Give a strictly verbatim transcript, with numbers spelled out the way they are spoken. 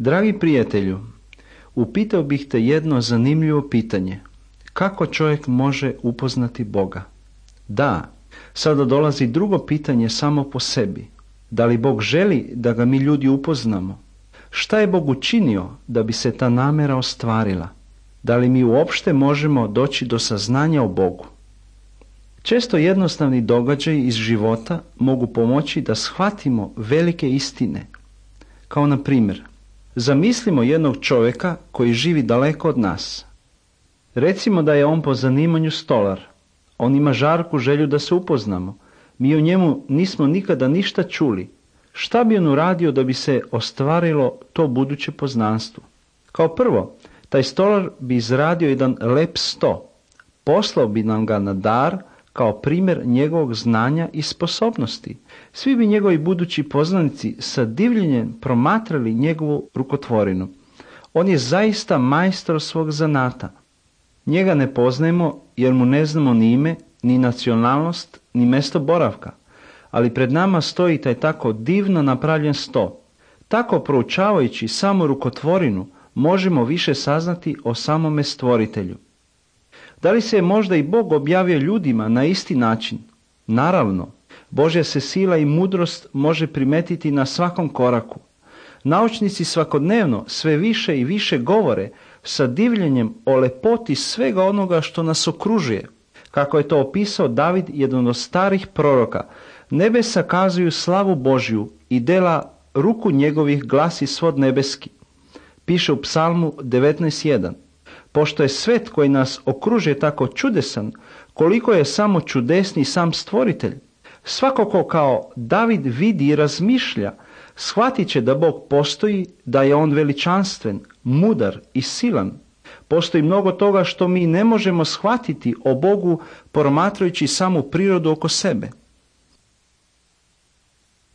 Dragi prijatelju, upitao bih te jedno zanimljivo pitanje. Kako čovjek može upoznati Boga? Da, sada dolazi drugo pitanje samo po sebi. Da li Bog želi da ga mi ljudi upoznamo? Šta je Bog učinio da bi se ta namjera ostvarila? Da li mi uopšte možemo doći do saznanja o Bogu? Često jednostavni događaji iz života mogu pomoći da shvatimo velike istine. Kao na primjer, zamislimo jednog čovjeka koji živi daleko od nas. Recimo da je on po zanimanju stolar. On ima žarku želju da se upoznamo. Mi o njemu nismo nikada ništa čuli. Šta bi on uradio da bi se ostvarilo to buduće poznanstvo? Kao prvo, taj stolar bi izradio jedan lep sto. Poslao bi nam ga na dar kao primjer njegovog znanja i sposobnosti. Svi bi njegovi budući poznanici sa divljenjem promatrali njegovu rukotvorinu. On je zaista majstor svog zanata. Njega ne poznajemo jer mu ne znamo ni ime, ni nacionalnost, ni mjesto boravka. Ali pred nama stoji taj tako divno napravljen sto. Tako proučavajući samo rukotvorinu možemo više saznati o samome stvoritelju. Da li se je možda i Bog objavio ljudima na isti način? Naravno, Božja se sila i mudrost može primetiti na svakom koraku. Naučnici svakodnevno sve više i više govore sa divljenjem o lepoti svega onoga što nas okružuje. Kako je to opisao David, jedan od starih proroka, nebesa kazuju slavu Božju i dela ruku njegovih glasi svod nebeski. Piše u Psalmu devetnaest jedan. Pošto je svet koji nas okružuje tako čudesan, koliko je samo čudesni sam stvoritelj. Svako ko kao David vidi i razmišlja, shvatit će da Bog postoji, da je on veličanstven, mudar i silan. Postoji mnogo toga što mi ne možemo shvatiti o Bogu promatrajući samu prirodu oko sebe.